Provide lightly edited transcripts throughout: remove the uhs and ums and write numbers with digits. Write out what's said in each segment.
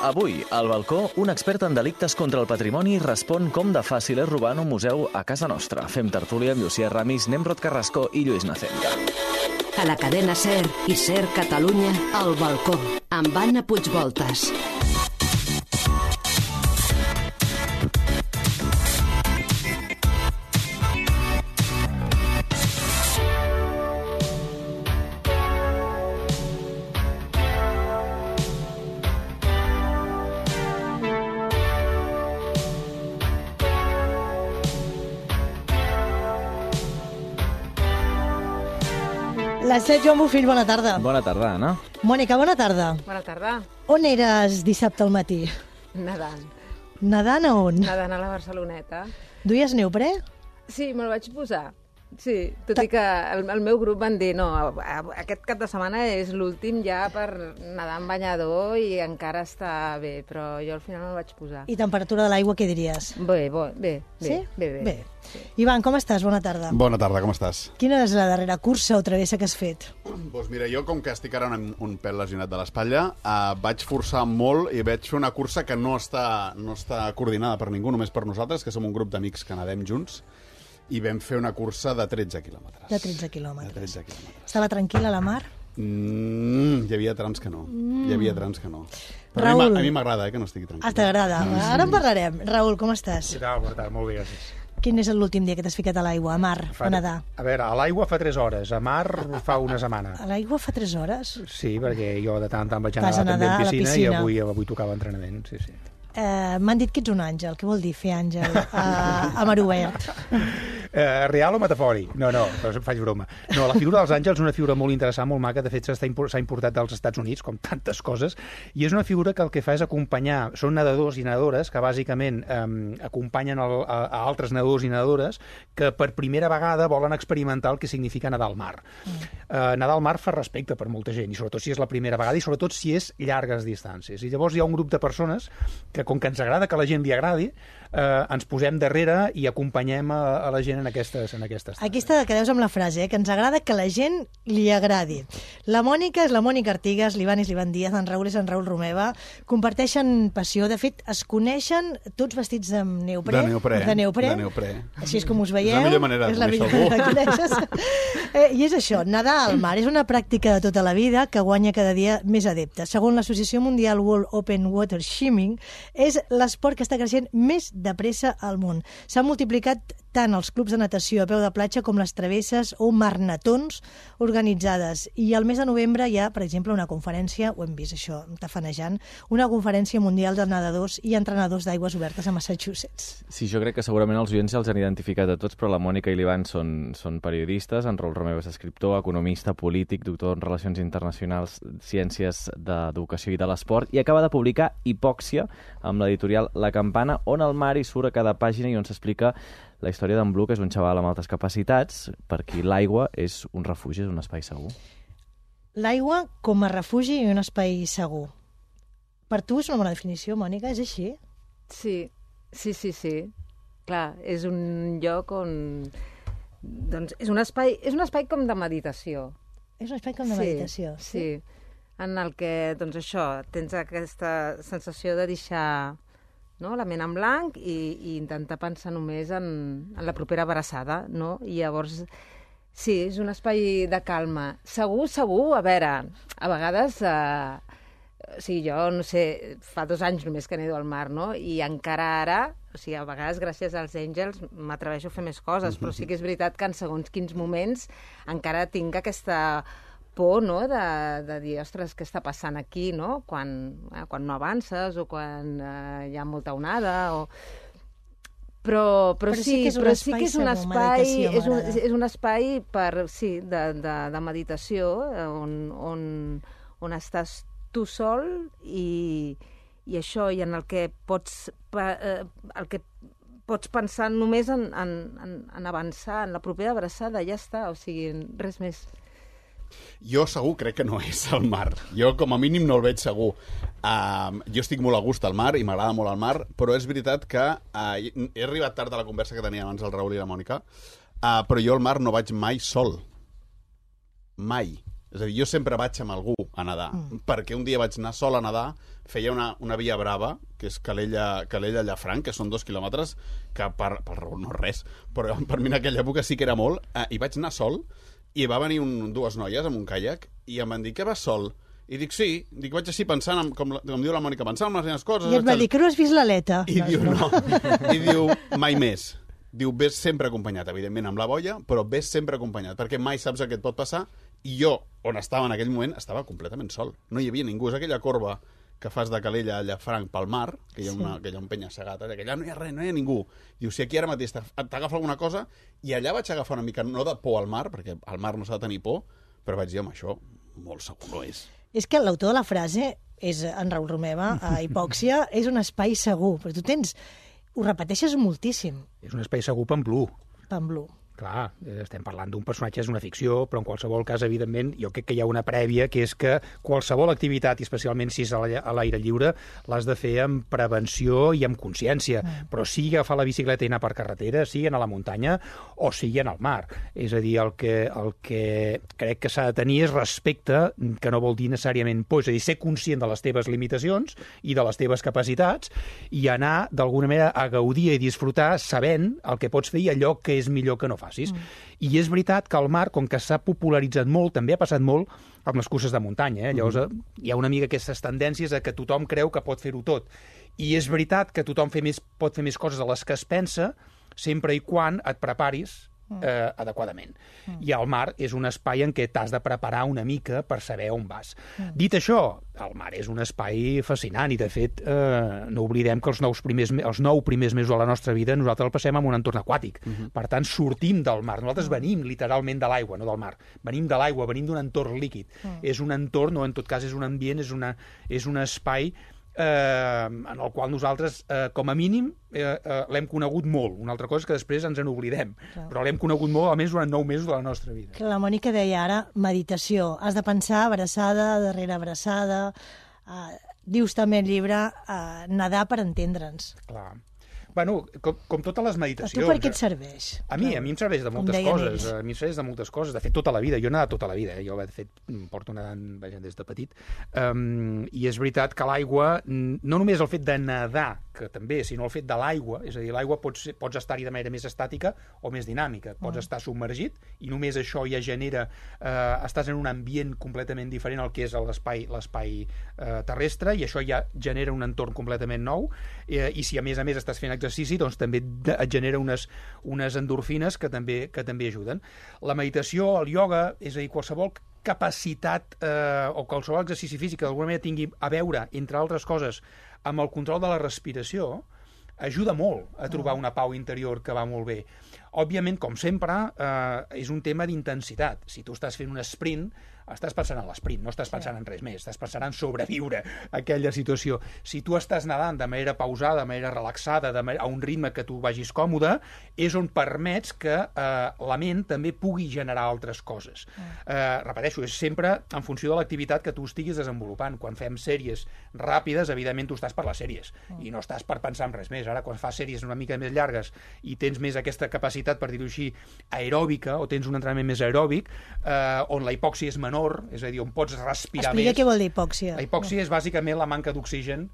Avui, al balcó, un expert en delictes contra el patrimoni respon com de fàcil és robar en un museu a casa nostra. Fem tertúlia amb Llucia Ramis, Nemrod Carrasco i Lluís Nacenta. A la cadena SER i SER Catalunya, al balcó, amb Anna Puigvoltas. La Set Joan Bufill, bona tarda. Bona tarda, Anna. Mònica, bona tarda. Bona tarda. On eres dissabte al matí? Nedant. Nedant a on? Nedant a la Barceloneta. Duies neoprè? Sí, me'l vaig posar. Sí, tot i que el meu grup van dir no, aquest cap de setmana és l'últim ja per nedar en banyador i encara està bé, però jo al final me'l vaig posar. I temperatura de l'aigua, què diries? Bé. Sí? Bé. Sí. Ivan, com estàs? Bona tarda. Bona tarda, com estàs? Quina és la darrera cursa o travessa que has fet? Doncs mira, jo com que estic ara un pèl lesionat de l'espatlla, vaig forçar molt i vaig fer una cursa que no està coordinada per ningú, només per nosaltres, que som un grup d'amics que nedem junts, i vam fer una cursa de 13 quilòmetres. De 13 quilòmetres. De 13 quilòmetres. Estava tranquil·la la mar? Hi havia trams que no. Hi havia trams que no. Però Raül. a mi m'agrada, que no estigui tranquil. T'agrada. Ara en parlarem. Raül, com estàs? Què tal? Bona tarda, molt bé, gràcies. Quin és l'últim dia que t'has ficat a l'aigua, a mar, a nedar? A veure, a l'aigua fa 3 hores, a mar fa una setmana. A l'aigua fa 3 hores? Sí, perquè jo de tant en tant vaig Vas a anar també nedar a en la piscina, piscina. i avui tocava entrenament, sí. M'han dit que ets un àngel. Què vol dir fer àngel a mar obert? Real o metafòric? No, però faig broma. No, la figura dels àngels és una figura molt interessant, molt maca, de fet s'ha importat dels Estats Units, com tantes coses, i és una figura que el que fa és acompanyar, són nedadors i nedadores que bàsicament acompanyen a altres nedadors i nedadores que per primera vegada volen experimentar el que significa nedar al mar. Nedar al mar fa respecte per molta gent, i sobretot si és la primera vegada, i sobretot si és llargues distàncies. I llavors hi ha un grup de persones que, com que ens agrada que la gent li agradi, ens posem darrere i acompanyem a la gent en aquestes tasques. Aquí està que deus amb la frase, que ens agrada que la gent li agradi. La Mònica és la Mònica Artigas, l'Ivan és l'Ivan Díaz, en Raül és en Raül Romeva. Comparteixen passió. De fet, es coneixen tots vestits de neoprè. De neoprè. Així és com us veieu. És la millor manera de conèixer algú. I és això, nedar al mar és una pràctica de tota la vida que guanya cada dia més adeptes. Segons l'Associació Mundial World Open Water Swimming, és l'esport que està creixent més de pressa al món. S'han multiplicat tant els clubs de natació a peu de platja com les travesses o marnatons organitzades. I al mes de novembre hi ha, per exemple, una conferència, ho hem vist això, tafanejant, una conferència mundial de nedadors i entrenadors d'aigües obertes a Massachusetts. Sí, jo crec que segurament els oients ja els han identificat a tots, però la Mònica i l'Ivan són periodistes, en Raül Romeva és escriptor, economista, polític, doctor en Relacions Internacionals, Ciències d'Educació i de l'Esport, i acaba de publicar Hipòxia amb l'editorial La Campana, on el mar hi surt a cada pàgina i on s'explica la història d'en Blu, que és un xaval amb altes capacitats, per qui l'aigua és un refugi, és un espai segur. L'aigua com a refugi i un espai segur. Per tu és una bona definició, Mònica? És així? Sí. Clar, és un lloc on... Doncs és un espai com de meditació. És un espai com de meditació. Sí. En el que, doncs això, tens aquesta sensació de deixar la ment en blanc i intentar pensar només en la propera abraçada, no? I llavors, sí, és un espai de calma. Segur, a veure, a vegades... jo, no sé, fa 2 anys només que nedo al mar, no? I encara ara, a vegades gràcies als àngels m'atreveixo a fer més coses, però sí que és veritat que en segons quins moments encara tinc aquesta por, no?, de dir, ostres, què està passant aquí, no?, quan no avances o quan hi ha molta onada, o... Però sí que és un espai de meditació on estàs tu sol i això, i en el que pots pensar només en avançar, en la propera abraçada, ja està, o sigui, res més. Jo segur crec que no és el mar. Jo com a mínim no el veig segur. Jo estic molt a gust al mar i m'agrada molt el mar, però és veritat que he arribat tard a la conversa que tenia abans el Raül i la Mònica, però jo al mar no vaig mai sol. Mai. És a dir, jo sempre vaig amb algú a nedar, perquè un dia vaig anar sol a nedar, feia una via brava, que és Calella-Llafranc, que són 2 quilòmetres, que per raó no és res, però per mi en aquella època sí que era molt, i vaig anar sol, i va venir dues noies amb un caiac, i em van dir, què vas sol? I dic, sí, vaig així pensant, com diu la Mònica, pensant en les meves coses. I et va dir que no has vist l'aleta. I diu, no. I diu, mai més. Diu, ves sempre acompanyat, evidentment amb la boia, però ves sempre acompanyat, perquè mai saps el que et pot passar. I jo, on estava en aquell moment, estava completament sol. No hi havia ningú. És aquella corba que fas de Calella a Llafranc pel mar, que hi ha un penya-segat, que allà no hi ha res, no hi ha ningú. Diu, si aquí ara mateix t'agafa alguna cosa, i allà vaig agafar una mica, no de por al mar, perquè al mar no s'ha de tenir por, però vaig dir, home, això molt segur no és. És que l'autor de la frase, és en Raül Romeva, a Hipòxia, és un espai segur, però tu ho repeteixes moltíssim. És un espai segur Pamplú. Pamplú. Clar, estem parlant d'un personatge, és una ficció, però en qualsevol cas, evidentment, jo crec que hi ha una prèvia, que és que qualsevol activitat, i especialment si és a l'aire lliure, l'has de fer amb prevenció i amb consciència, però sigui agafar la bicicleta i anar per carretera, sigui anar a la muntanya o sigui anar al mar. És a dir, el que crec que s'ha de tenir és respecte, que no vol dir necessàriament por, és a dir, ser conscient de les teves limitacions i de les teves capacitats i anar, d'alguna manera, a gaudir i disfrutar sabent el que pots fer i allò que és millor que no facis. I és veritat que el mar, com que s'ha popularitzat molt, també ha passat molt amb les curses de muntanya. Llavors hi ha una mica aquestes tendències a que tothom creu que pot fer-ho tot. I és veritat que tothom pot fer més coses de les que es pensa, sempre i quan et preparis adequadament. I el mar és un espai en què t'has de preparar una mica per saber on vas. Dit això, el mar és un espai fascinant i, de fet, no oblidem que els 9 primers mesos de la nostra vida nosaltres el passem en un entorn aquàtic. Per tant, sortim del mar. Nosaltres venim literalment de l'aigua, no del mar. Venim de l'aigua, venim d'un entorn líquid. És un entorn, o en tot cas és un ambient, és un espai en el qual nosaltres, com a mínim, l'hem conegut molt. Una altra cosa és que després ens en oblidem. Però l'hem conegut molt, almenys durant 9 mesos de la nostra vida. Que la Mònica deia ara, meditació. Has de pensar abraçada, darrere abraçada. Dius també el llibre, nedar per entendre'ns. Clar. Bueno, com totes les meditacions. A tu per què et serveix? A mi em serveix de moltes coses. A mi em serveix de moltes coses. De fet, tota la vida. Jo he nedat tota la vida. Jo, de fet, porto nedant des de petit. I és veritat que l'aigua, no només el fet de nedar, que també, sinó el fet de l'aigua, és a dir, l'aigua pots estar-hi de manera més estàtica o més dinàmica. Pots estar submergit i només això ja genera... estàs en un ambient completament diferent al que és l'espai terrestre i això ja genera un entorn completament nou i si a més estàs fent exercici, doncs també et genera unes endorfines que també ajuden. La meditació, el ioga, és a dir, qualsevol capacitat o qualsevol exercici físic que d'alguna manera tingui a veure, entre altres coses, amb el control de la respiració, ajuda molt a trobar una pau interior que va molt bé. Òbviament, com sempre, és un tema d'intensitat. Si tu estàs fent un sprint, estàs pensant en l'esprint, no estàs pensant en res més, estàs pensant en sobreviure a aquella situació. Si tu estàs nedant de manera pausada, de manera relaxada, a un ritme que tu vagis còmode, és on permets que la ment també pugui generar altres coses. Repeteixo, és sempre en funció de l'activitat que tu estiguis desenvolupant. Quan fem sèries ràpides, evidentment tu estàs per les sèries i no estàs per pensar en res més. Ara, quan fas sèries una mica més llargues i tens més aquesta capacitat, per dir-ho així, aeròbica, o tens un entrenament més aeròbic, on la hipòxia és menor, és a dir, on pots respirar més. Explica què vol dir hipòxia. La hipòxia és bàsicament la manca d'oxigen,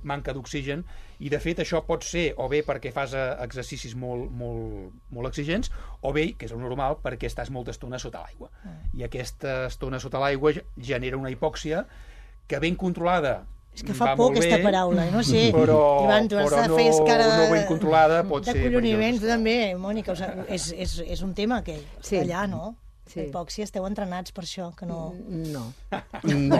manca d'oxigen, i de fet això pot ser o bé perquè fas exercicis molt exigents, o bé, que és el normal, perquè estàs molta estona sota l'aigua. I aquesta estona sota l'aigua genera una hipòxia que ben controlada és que fa por aquesta paraula, no sé. Però no ben controlada pot ser... De colloniment, tu també, Mònica. És un tema que allà, no? Sí. La hipòxia, esteu entrenats per això, que no... No. No,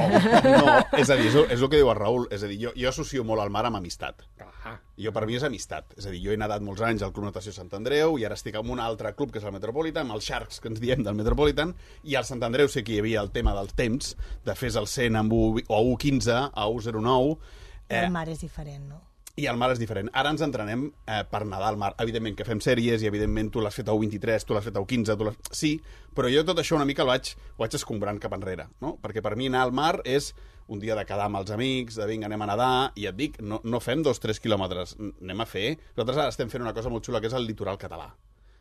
és a dir, és el que diu el Raül. És a dir, jo associo molt el mar amb amistat. Per mi és amistat. És a dir, jo he nedat molts anys al Club Natació Sant Andreu i ara estic en un altre club, que és el Metropolitan, amb els Sharks, que ens diem del Metropolitan, i al Sant Andreu sé que hi havia el tema dels temps, de fes el 100 amb o 1.15, a 1.09... El mar és diferent, no? I el mar és diferent. Ara ens entrenem per nedar al mar. Evidentment que fem sèries i evidentment tu l'has fet a 1.23, tu l'has fet a 1.15, sí, però jo tot això una mica ho vaig escombrant cap enrere, no? Perquè per mi anar al mar és un dia de quedar amb els amics, de vinga, anem a nedar, i et dic, no fem 2-3 quilòmetres, anem a fer... Nosaltres ara estem fent una cosa molt xula, que és el litoral català.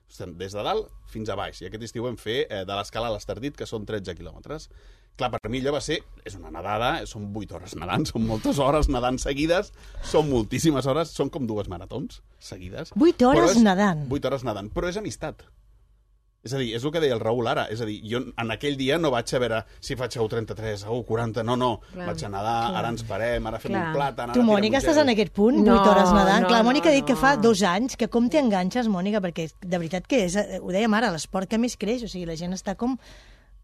des de dalt fins a baix. I aquest estiu vam fer de l'escala a l'Estardit, que són 13 quilòmetres. Clar, per mi allò va ser... És una nedada, són 8 hores nedant, són moltes hores nedant seguides, són moltíssimes hores, són com 2 maratons seguides. 8 hores nedant. 8 hores nedant, però és amistat. És a dir, és el que deia el Raül ara. És a dir, jo en aquell dia no vaig a veure si faig 33, 40, no. Clar. Vaig a nedar, ara ens parem, ara fem un plàtan... Tu, Mònica, estàs en aquest punt, 8 hores nedant? Clar, Mònica ha dit que fa 2 anys, que com t'hi enganxes, Mònica, perquè de veritat que és, ho dèiem ara, l'esport que més creix, o sigui, la gent està com...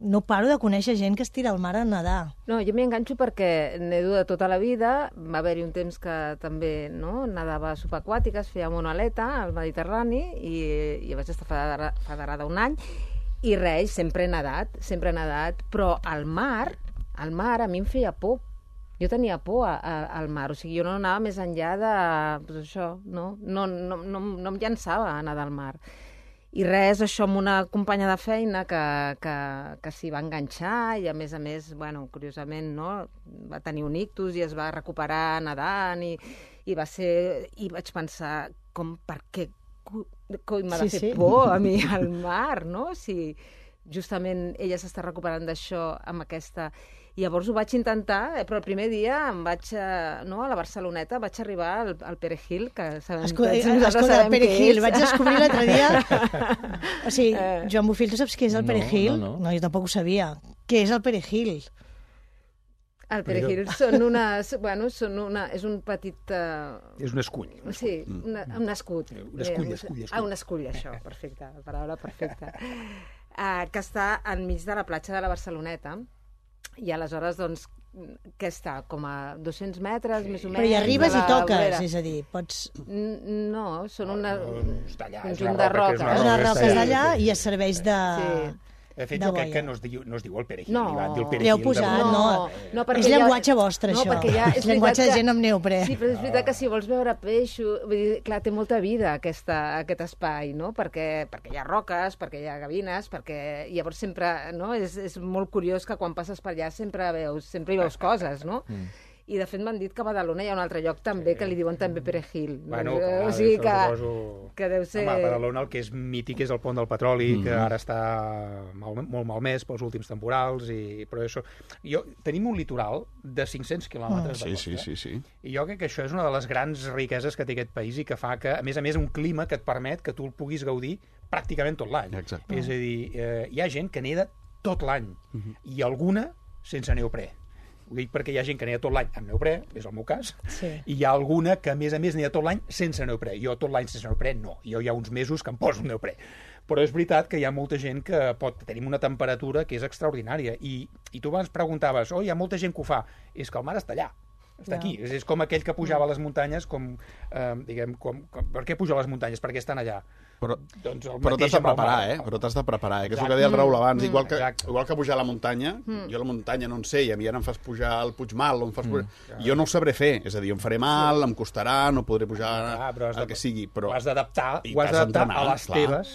No paro de conèixer gent que es tira al mar a nedar. No, jo m'hi enganxo perquè nedo de tota la vida. Va haver-hi un temps que també nedava subaquàtiques, feia monoleta al Mediterrani i vaig estar federada un any. I res, sempre he nedat, però al mar a mi em feia por. Jo tenia por al mar, o sigui, jo no anava més enllà de... Pues això, no em llançava a nedar al mar. I res, això amb una companya de feina que s'hi va enganxar i, a més, bueno, curiosament, no, va tenir un ictus i es va recuperar nedant i va ser... I vaig pensar, per què m'ha de fer por a mi al mar, no? Si justament ella s'està recuperant d'això amb aquesta... Llavors ho vaig intentar, però el primer dia em vaig, a la Barceloneta, vaig arribar al Perejil, que sabem Escolta, el Perejil, vaig descobrir l'altre dia... O sigui, Joan Bofill, tu saps què és el Perejil? No, jo tampoc ho sabia. Què és el Perejil? El Perejil són unes... Bueno, és un petit... És un escull. Sí, un escut. Un escull, això, perfecte, la paraula perfecta. Que està enmig de la platja de la Barceloneta. I aleshores, doncs, què està? Com a 200 metres, més o menys? Però hi arribes i toques, és a dir, pots... No, són un conjunt de roques. Unes roques d'allà i es serveix de... De fet, jo crec que no es diu el Perejil. No, li heu posat, no. És llenguatge vostre, això. És llenguatge de gent amb neoprè. Sí, però és veritat que si vols veure peixos... Vull dir, clar, té molta vida aquest espai, no? Perquè hi ha roques, perquè hi ha gavines, perquè llavors sempre... És molt curiós que quan passes per allà sempre hi veus coses, no? I, de fet, m'han dit que a Badalona hi ha un altre lloc també que li diuen també Perejil. Bueno, o sigui que deu ser... Home, a Badalona el que és mític és el pont del Petroli, que ara està molt malmès pels últims temporals, però això... Tenim un litoral de 500 quilòmetres de costa. Sí. I jo crec que això és una de les grans riqueses que té aquest país i que fa que, a més, un clima que et permet que tu el puguis gaudir pràcticament tot l'any. Exacte. És a dir, hi ha gent que neda tot l'any, i alguna sense neoprè. Ho dic perquè hi ha gent que neda tot l'any amb neoprè, és el meu cas, i hi ha alguna que, a més, neda tot l'any sense neoprè. Jo tot l'any sense neoprè no. Jo hi ha uns mesos que em poso neoprè. Però és veritat que hi ha molta gent que tenim una temperatura que és extraordinària. I tu abans preguntaves, hi ha molta gent que ho fa. És que el mar està allà. Està aquí. És com aquell que pujava a les muntanyes, per què puja a les muntanyes? Per què estan allà? Però t'has de preparar, Però t'has de preparar, que és el que deia el Raül abans. Igual que pujar a la muntanya, jo la muntanya no en sé, i a mi ara em fas pujar al Puigmal, jo no ho sabré fer. És a dir, em faré mal, em costarà, no podré pujar el que sigui. Però ho has d'adaptar a les teves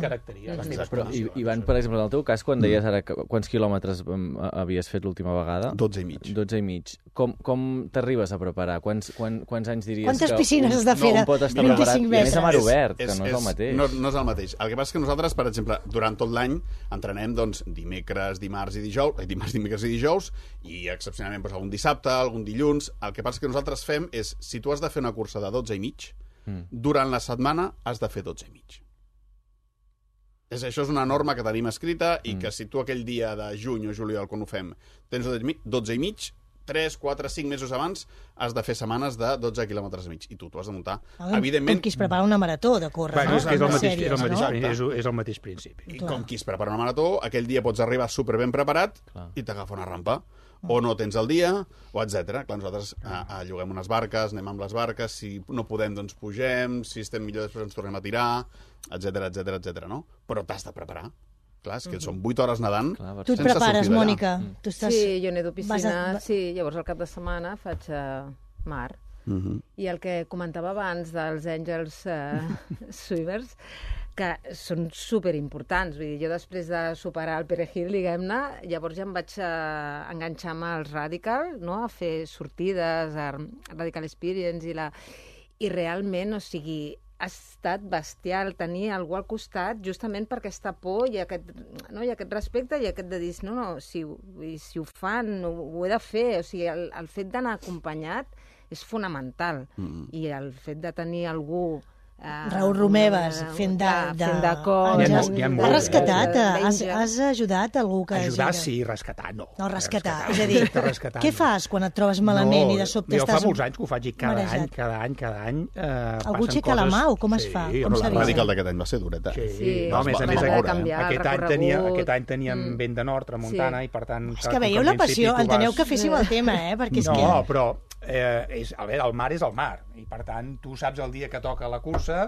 característiques. Però, Ivan, per exemple, en el teu cas, quan deies ara quants quilòmetres havies fet l'última vegada? 12 i mig. 12 i mig. Com t'arribes a preparar? Quants anys diries Quantes piscines has de fer? Un pot estar preparat? I a més a mar obert, que no és el mateix. No és el mateix. El que passa és que nosaltres, per exemple, durant tot l'any entrenem dimecres, dimarts i dijous, i excepcionalment algun dissabte, algun dilluns. El que passa és que nosaltres fem és, si tu has de fer una cursa de 12 i mig, durant la setmana has de fer 12 i mig. Això és una norma que tenim escrita i que si tu aquell dia de juny o juliol, quan ho fem, tens 12 i mig, 3, 4, 5 mesos abans has de fer setmanes de 12 quilòmetres i mig. I tu t'ho has de muntar. Evidentment... Com qui es prepara una marató de córrer, no? És el mateix principi. I com qui es prepara una marató, aquell dia pots arribar superben preparat i t'agafa una rampa. O no tens el dia, o etc. Clar, nosaltres lloguem unes barques, anem amb les barques, si no podem, doncs pugem, si estem millor després ens tornem a tirar, etc, no? Però t'has de preparar. Clar, és que són 8 hores nedant. Tu et prepares, Mònica? Sí, jo nedo piscina, llavors al cap de setmana faig mar. I el que comentava abans dels Angels Swimmers, que són superimportants. Vull dir, jo després de superar el Perejil, diguem-ne, llavors ja em vaig enganxar amb els Radical, no? A fer sortides, a Radical Experience, i realment, o sigui, ha estat bestial tenir algú al costat justament per aquesta por i aquest respecte i aquest de dir, no, si ho fan, ho he de fer. O sigui, el fet d'anar acompanyat és fonamental. I el fet de tenir algú... Raül Romeves, fent de cor. Has rescatat, has ajudat algú que... Ajudar, sí, rescatar, no. No, rescatar. És a dir, què fas quan et trobes malament i de sobte estàs... Jo fa molts anys que ho faig i cada any algú aixeca la mà o com es fa? La Radical d'aquest any va ser dureta. Sí, a més, aquest any teníem vent de nord, tramuntana, i per tant... És que veieu la passió, enteneu que féssim el tema, perquè és que... No, però... el mar és el mar, i per tant tu saps el dia que toca la cursa,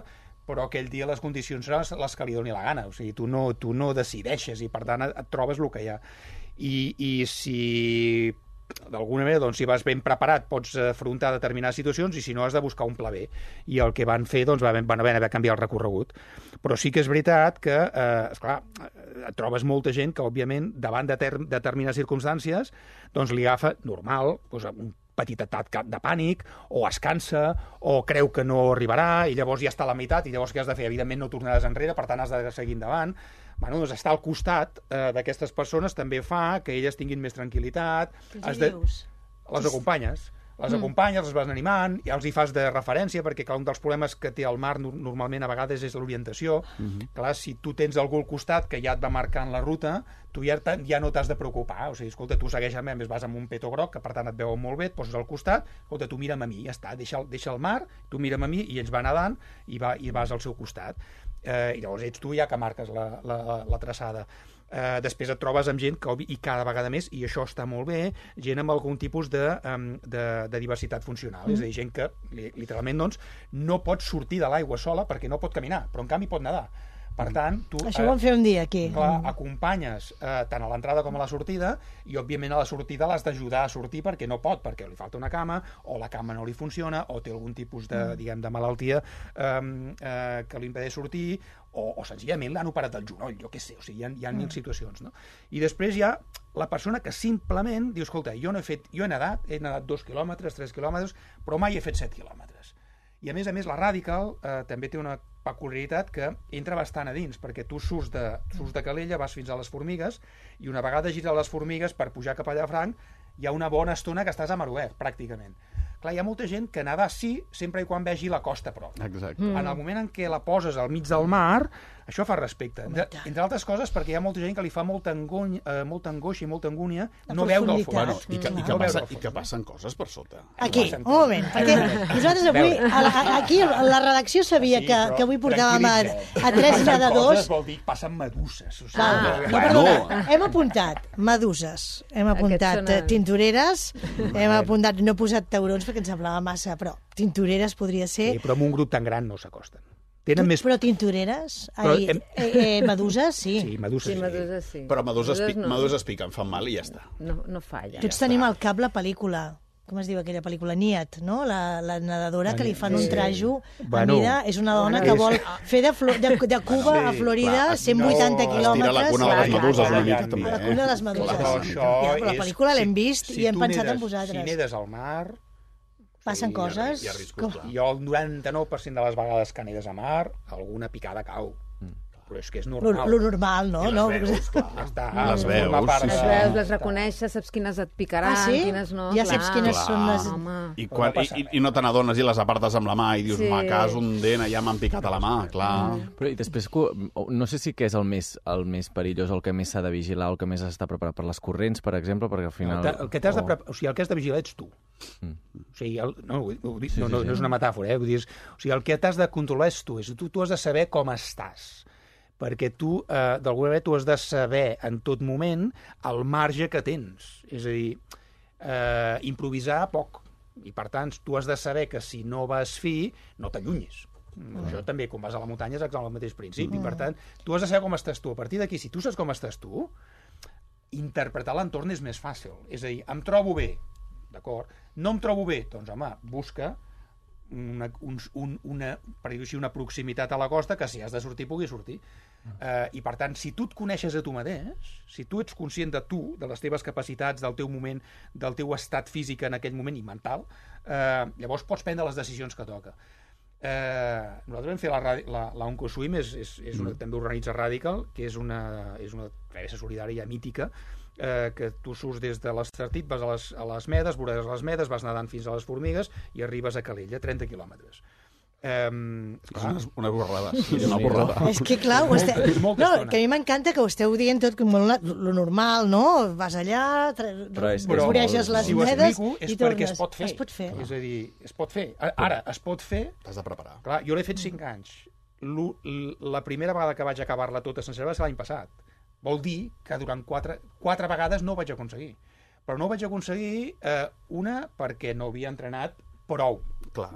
però aquell dia les condicions seran les que li doni la gana, o sigui, tu no decideixes i per tant et trobes el que hi ha. I si d'alguna manera, doncs, si vas ben preparat pots afrontar determinades situacions, i si no has de buscar un pla B, i el que van fer, doncs van haver de canviar el recorregut. Però sí que és veritat que, esclar, et trobes molta gent que, òbviament, davant de determinades circumstàncies, doncs li agafa normal, doncs, un petit atac de pànic, o es cansa, o creu que no arribarà, i llavors ja està a la meitat, i llavors què has de fer? Evidentment no tornaràs enrere, per tant has de seguir endavant. Bueno, doncs estar al costat d'aquestes persones també fa que elles tinguin més tranquil·litat. Les acompanyes. Les acompanyes, les vas animant, ja els hi fas de referència, perquè clar, un dels problemes que té el mar normalment a vegades és l'orientació. Clar, si tu tens algú al costat que ja et va marcant la ruta, tu ja no t'has de preocupar. O sigui, escolta, tu segueixes, a més vas amb un peto groc, que per tant et veuen molt bé, et poses al costat, escolta, tu mira'm a mi, ja està, deixa el mar, tu mira'm a mi, i ells va nedant i vas al seu costat. I llavors ets tu ja que marques la traçada. Després et trobes amb gent que, i cada vegada més, i això està molt bé, gent amb algun tipus de diversitat funcional, és a dir, gent que literalment doncs, no pot sortir de l'aigua sola perquè no pot caminar, però en canvi pot nedar. Per tant, tu... Això ho vam fer un dia, aquí. Clar, acompanyes tant a l'entrada com a la sortida, i òbviament a la sortida l'has d'ajudar a sortir perquè no pot, perquè li falta una cama, o la cama no li funciona, o té algun tipus de malaltia que li impedeix sortir, o senzillament l'han operat del genoll, jo què sé, o sigui, hi ha mil situacions, no? I després hi ha la persona que simplement diu, escolta, jo he nedat 2 quilòmetres, 3 quilòmetres, però mai he fet 7 quilòmetres. I a més, la Radical també té una peculiaritat que entra bastant a dins, perquè tu surts de Calella, vas fins a les Formigues, i una vegada gires les Formigues per pujar cap a Llafranc, hi ha una bona estona que estàs a mar obert, pràcticament. Clar, hi ha molta gent que nedar sí, sempre i quan vegi la costa a prop. Exacte. En el moment en què la poses al mig del mar, això fa respecte. Entre altres coses, perquè hi ha molta gent que li fa molta angoixa i molta angúnia no veure el fons. Bueno, i que passen coses per sota. Aquí, un moment, perquè nosaltres avui, aquí la redacció sabia que avui portàvem a 3 nedadors. Coses vol dir que passen meduses. No, perdona, hem apuntat meduses, hem apuntat tintoreres, hem apuntat, no he posat taurons perquè ens semblava massa, però tintoreres podria ser... Sí, però amb un grup tan gran no s'acosten. Però tintoreres? Meduses, sí. Sí, meduses sí. Però meduses piquen, fan mal i ja està. No falla. Tots tenim al cap la pel·lícula, com es diu aquella pel·lícula? Niat, no? La nedadora que li fan un trajo a mida, és una dona que vol fer de Cuba a Florida 180 quilòmetres. Estira la cuna de les meduses una mica, també. La cuna de les meduses. Però la pel·lícula l'hem vist i hem pensat en vosaltres. Si nedes al mar... Passen coses... Jo el 99% de les vegades que nedes a mar, alguna picada cau. Però és que és normal. Lo normal, no? Les veus, clar. Les veus. Les veus, les reconeixes, saps quines et picaran, quines no. Ja saps quines són les... I no te n'adones i les apartes amb la mà i dius, m'acas un dent, ja m'han picat a la mà, clar. Però i després, no sé si que és el més perillós, el que més s'ha de vigilar, el que més s'està preparat per les corrents, per exemple, perquè al final... El que has de vigilar ets tu. O sigui, no és una metàfora, vull dir, o sigui, el que t'has de controlar és tu, tu has de saber com estàs, perquè tu, d'alguna manera, tu has de saber en tot moment el marge que tens, és a dir, improvisar poc, i per tant, tu has de saber que si no vas fi, no t'allunyis. Això també, quan vas a la muntanya, és el mateix principi, per tant, tu has de saber com estàs tu. A partir d'aquí, si tu saps com estàs tu, interpretar l'entorn és més fàcil, és a dir, em trobo bé, d'acord? No em trobo bé? Doncs, home, busca per dir-ho així, una proximitat a la costa que si has de sortir pugui sortir. I per tant, si tu et coneixes a tu mateix, si tu ets conscient de tu, de les teves capacitats, del teu moment, del teu estat físic en aquell moment i mental, llavors pots prendre les decisions que toca. Nosaltres vam fer la OncoSwim, també organitza Radical, que és una travessa solidària mítica, que tu surts des de l'Estartit, vas a les Medes, veuràs les Medes, vas nedant fins a les Formigues i arribes a Calella, 30 quilòmetres. Una borrada. Una borrada. És que, clar, que a mi m'encanta que ho esteu dient tot com lo normal, no? Vas allà, voreges les medes i tornes. Perquè es pot fer. Es pot fer. És a dir, es pot fer. Ara, es pot fer... T'has de preparar. Clar, jo l'he fet 5 anys. La primera vegada que vaig acabar-la tota sencera va ser l'any passat. Vol dir que durant 4 vegades no ho vaig aconseguir. Però no ho vaig aconseguir, una, perquè no havia entrenat prou. Clar.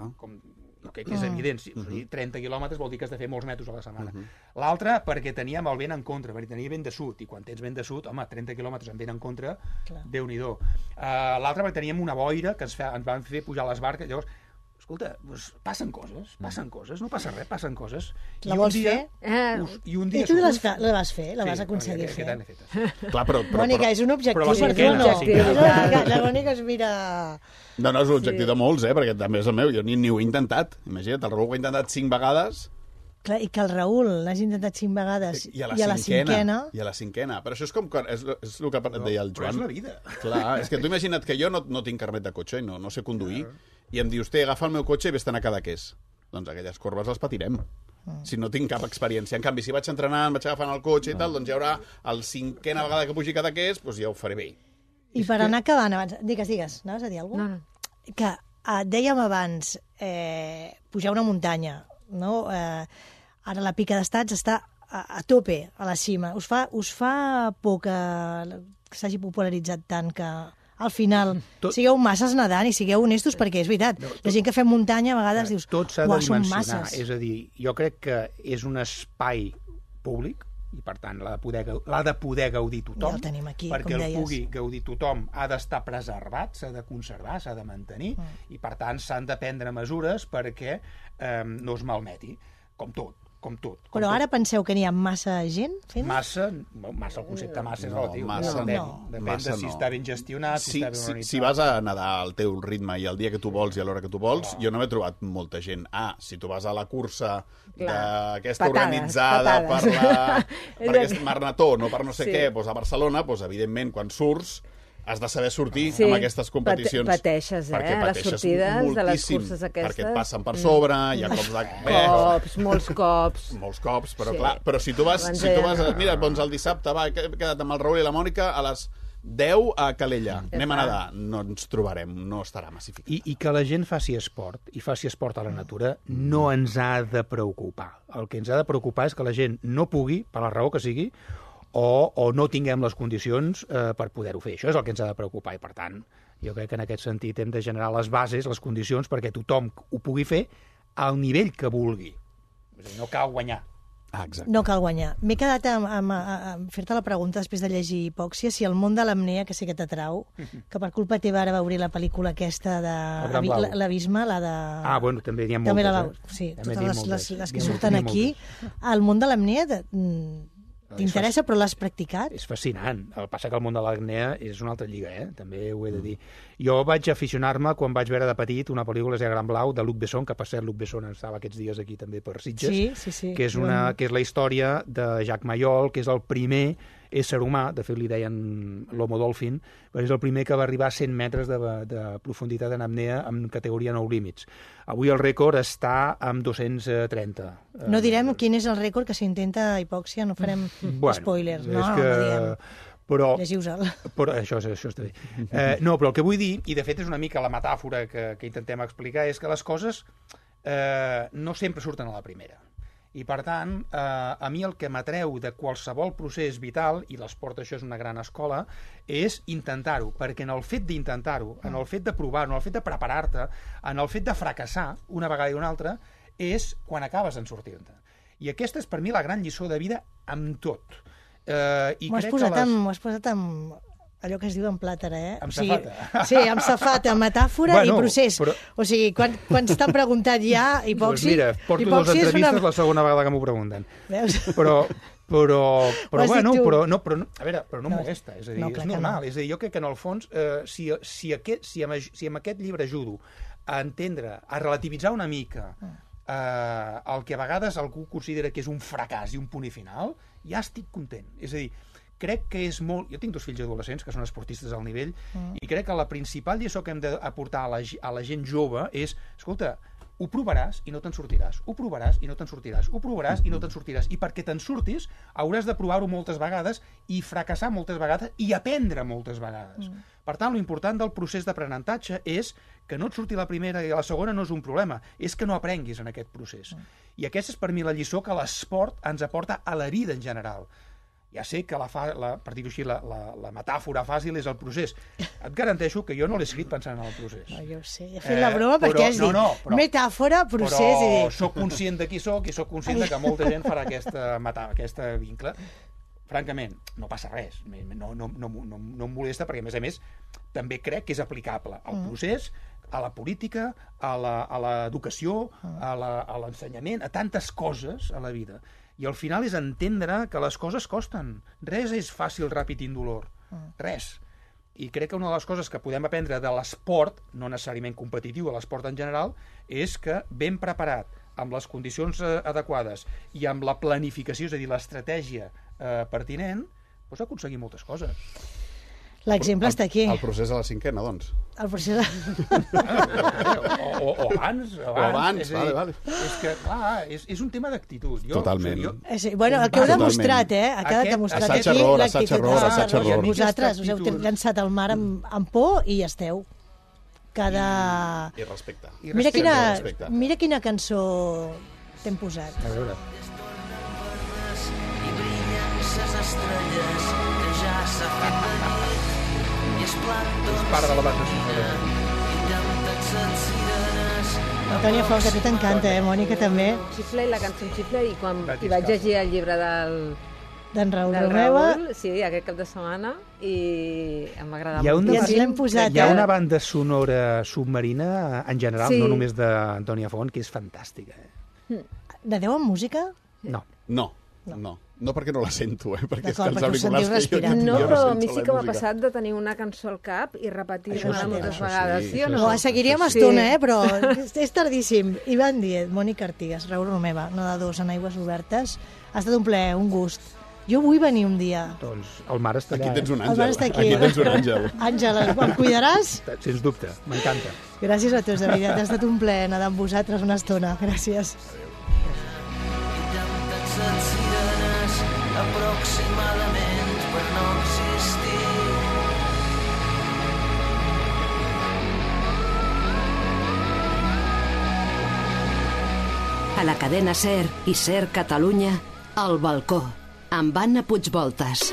Que és evident, 30 quilòmetres vol dir que has de fer molts metres a la setmana. L'altra, perquè teníem el vent en contra, perquè tenia vent de sud, i quan tens vent de sud, home, 30 quilòmetres amb vent en contra, Déu-n'hi-do. L'altra, perquè teníem una boira que ens van fer pujar les barques, llavors, escolta, passen coses, no passa res, passen coses. La vols fer? I un dia... I tu la vas fer, la vas aconseguir fer. Clar, però... Mònica, és un objectiu. La Mònica es mira... No, és un objectiu de molts, perquè també és el meu. Jo ni ho he intentat. Imagina't, el Raül ho ha intentat 5 vegades. Clar, i que el Raül l'hagi intentat 5 vegades i a la cinquena... I a la cinquena. Però això és com... És el que deia el Joan. Però és la vida. Clar, és que tu imagina't que jo no tinc carnet de cotxe i no sé conduir, i em dius, agafa el meu cotxe i vés-te'n a Cadaqués. Doncs aquelles corbes les patirem. Si no tinc cap experiència. En canvi, si vaig entrenant, vaig agafant el cotxe i tal, doncs hi haurà el 5a vegada que pugi Cadaqués, doncs ja ho faré bé. I per anar acabant abans... Digues, anaves a dir alguna cosa? No. Que dèiem abans, pujar una muntanya, no? Ara la Pica d'Estats està a tope, a la cima. Us fa por que s'hagi popularitzat tant que al final sigueu masses nedant i sigueu honestos, perquè és veritat, la gent que fem muntanya a vegades dius, tot s'ha de dimensionar, masses. És a dir, jo crec que és un espai públic i per tant l'ha de poder gaudir tothom, ja el tenim aquí, perquè com el deies. pugui gaudir tothom ha d'estar preservat, s'ha de conservar, s'ha de mantenir i per tant s'han de prendre mesures perquè no es malmeti, com tot. Però ara penseu que n'hi ha massa gent fent? Massa, el concepte massa és relatiu. Depèn de si està ben gestionat, si està ben organitzat. Si vas a nedar al teu ritme i el dia que tu vols i a l'hora que tu vols, jo no m'he trobat molta gent. Si tu vas a la cursa d'aquesta organitzada per aquest Marnató, no per no sé què, a Barcelona, evidentment, quan surts, has de saber sortir amb aquestes competicions. Pateixes, les sortides de les curses aquestes. Perquè et passen per sobre, hi ha cops de... Molts cops. Però clar, però si tu vas... Mira, doncs el dissabte, he quedat amb el Raül i la Mònica a les 10 a Calella. Anem a nedar. No ens trobarem, no estarà massificat. I que la gent faci esport, i faci esport a la natura, no ens ha de preocupar. El que ens ha de preocupar és que la gent no pugui, per la raó que sigui, o no tinguem les condicions per poder-ho fer. Això és el que ens ha de preocupar i, per tant, jo crec que en aquest sentit hem de generar les bases, les condicions perquè tothom ho pugui fer al nivell que vulgui. És a dir, no cal guanyar. Exacte. No cal guanyar. M'he quedat a fer-te la pregunta després de llegir Hipòxia, si el món de l'apnea, que sé que t'atrau, que per culpa teva ara va obrir la pel·lícula aquesta de l'Abisme, la de... Bueno, també n'hi ha moltes. Sí, totes les que surten aquí. El món de l'apnea... T'interessa, però l'has practicat? És fascinant. El que passa que el món de l'apnea és una altra lliga, també ho he de dir. Jo vaig aficionar-me quan vaig veure de petit una pel·lícula que es deia Gran Blau, de Luc Besson, que per cert Luc Besson estava aquests dies aquí també per Sitges, sí. Que és la història de Jacques Mayol, que és el primer ésser humà, de fet li deien l'Homo Dolphin, perquè és el primer que va arribar a 100 metres de profunditat en apnea en categoria no límits. Avui el rècord està amb 230. No direm quin és el rècord, que s'intenta Hipòxia, no farem spoilers. No diem. Llegiu-se'l. Però això està bé. No, però el que vull dir, i de fet és una mica la metàfora que intentem explicar, és que les coses no sempre surten a la primera. I, per tant, a mi el que m'atreu de qualsevol procés vital, i l'esport això és una gran escola, és intentar-ho, perquè en el fet d'intentar-ho, en el fet de provar-ho, en el fet de preparar-te, en el fet de fracassar una vegada i una altra, és quan acabes en sortir-te. I aquesta és per mi la gran lliçó de vida amb tot. M'ho has posat amb allò que es diu en plàtera, Amb safata. Sí, amb safata, metàfora i procés. O sigui, quan t'han preguntat ja Hipòxia... Mira, porto 2 entrevistes la segona vegada que m'ho pregunten. Veus? Però no molesta, és a dir, és normal. És a dir, jo crec que en el fons, si amb aquest llibre ajudo a entendre, a relativitzar una mica el que a vegades algú considera que és un fracàs i un punt i final, ja estic content. És a dir, crec que és molt... Jo tinc 2 fills adolescents que són esportistes al nivell i crec que la principal lliçó que hem d'aportar a la gent jove és, escolta, ho provaràs i no te'n sortiràs, ho provaràs i no te'n sortiràs, ho provaràs i no te'n sortiràs. I perquè te'n surtis hauràs de provar-ho moltes vegades i fracassar moltes vegades i aprendre moltes vegades. Per tant, l'important del procés d'aprenentatge és que no et surti la primera i la segona no és un problema, és que no aprenguis en aquest procés. I aquesta és per mi la lliçó que l'esport ens aporta a la vida en general. Ja sé que, per dir-ho així, la metàfora fàcil és el procés. Et garanteixo que jo no l'he escrit pensant en el procés. No, jo ho sé, he fet la broma perquè has dit metàfora, procés... Però sóc conscient de qui sóc i sóc conscient de que molta gent farà aquesta vincle. Francament, no passa res. No em molesta perquè, a més, també crec que és aplicable al procés, a la política, a l'educació, a l'ensenyament, a tantes coses a la vida. I al final és entendre que les coses costen. Res és fàcil, ràpid i indolor. Res. I crec que una de les coses que podem aprendre de l'esport, no necessàriament competitiu, de l'esport en general, és que ben preparat, amb les condicions adequades i amb la planificació, és a dir, l'estratègia pertinent, pots aconseguir moltes coses. L'exemple està aquí. El procés a la cinquena, doncs. El procés... O abans. O abans, vale. És que, clar, és un tema d'actitud. Totalment. Bueno, el que heu demostrat, Ha quedat demostrat aquí l'actitud. Vosaltres us heu llançat al mar amb por i hi esteu. I respecte. Mira quina cançó t'hem posat. A veure. I brillen ses estrelles que ja s'ha fet de nit. És part de la banda sonora. Antònia Font, que a tu t'encanta, Mònica, també. Xifle i la cançó Xifle, i quan vaig llegir el llibre d'en Raül Romeva. Sí, aquest cap de setmana, i em va agradar molt. I ens l'hem posat. Hi ha una banda sonora submarina, en general, no només d'Antònia Font, que és fantàstica. Nadeu amb música? No, perquè no la sento, perquè és que els auriculars que jo no, però a mi sí que m'ha passat de tenir una cançó al cap i repetir-la moltes vegades. Sí o no? Seguiríem estona, però és tardíssim. Ivan Díez, Mònica Artigas, Raül Romeva, no de dos, en aigües obertes. Ha estat un plaer, un gust. Jo vull venir un dia. Doncs el mar està allà. Aquí tens un àngel. El mar està aquí. Aquí tens un àngel. Àngel, el cuidaràs? Sens dubte, m'encanta. Gràcies a tots, de veritat. Ha estat un plaer anar amb vosaltres una estona. Gràcies. Aproximadament per no existir. A la cadena SER i SER Catalunya, El Balcó, amb Anna Puigvoltas.